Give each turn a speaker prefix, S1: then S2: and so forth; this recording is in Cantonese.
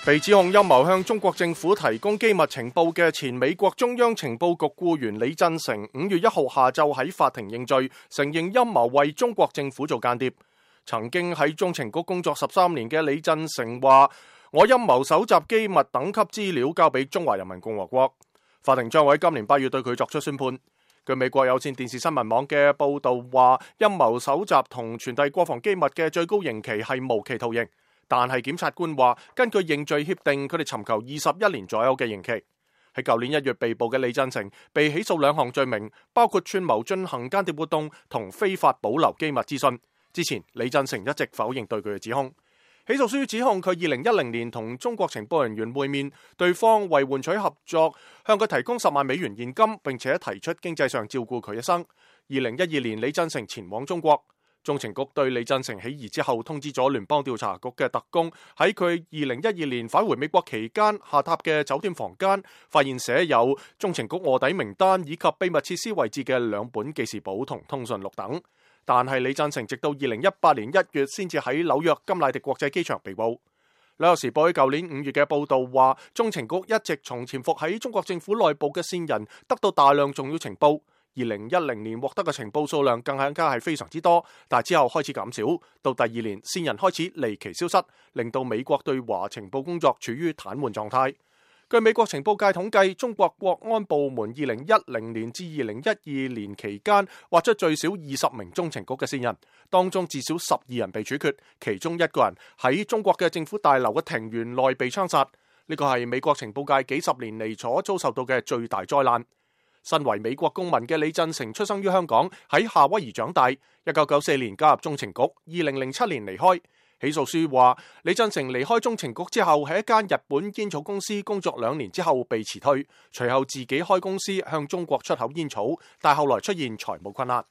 S1: 被指控陰謀向中國政府提供機密情報嘅前美國中央情報局僱員李振成5月1號下晝喺法庭認罪，承認陰謀為中國政府做間諜。曾經喺中情局工作13年嘅李振成話：我陰謀搜集機密等級資料交俾中華人民共和國。法庭將會今年8月對佢作出宣判。據美國有線電視新聞網嘅報道話，陰謀搜集同傳遞國防機密嘅最高刑期係無期徒刑。但係檢察官話，根據認罪協定，佢哋尋求21年左右嘅刑期。喺舊年1月被捕嘅李振成被起訴2項罪名，包括串謀進行間諜活動同非法保留機密資訊。之前李振成一直否認對佢嘅指控。起訴書指控佢2010年同中國情報人員會面，對方為換取合作，向佢提供10萬美元現金，並且提出經濟上照顧佢一生。2012年，李振成前往中國。中情局對李振成起疑之後，通知咗聯邦調查局嘅特工，喺佢2012年返回美國期間下榻嘅酒店房間，發現寫有中情局臥底名單以及秘密設施位置嘅2本記事簿同通訊錄等。但係李振成直到2018年1月先至喺紐約金乃迪國際機場被捕。紐約時報喺舊年5月嘅報道話，中情局一直從潛伏喺中國政府內部嘅線人得到大量重要情報。2010年獲得嘅情報數量更加係非常之多，但之後開始減少，到第2年線人開始離奇消失，令到美國對華情報工作處於癱瘓狀態。據美國情報界統計，中國國安部門2010年至2012年期間挖出最少20名中情局嘅線人，當中至少12人被處決，其中1個人喺中國嘅政府大樓嘅庭園內被槍殺。呢個係美國情報界幾十年嚟所遭受到嘅最大災難。身為美國公民嘅李振成出生於香港，喺夏威夷長大。1994年加入中情局，2007年離開。起訴書話，李振成離開中情局之後，喺一間日本煙草公司工作2年之後被辭退，隨後自己開公司向中國出口煙草，但後來出現財務困難。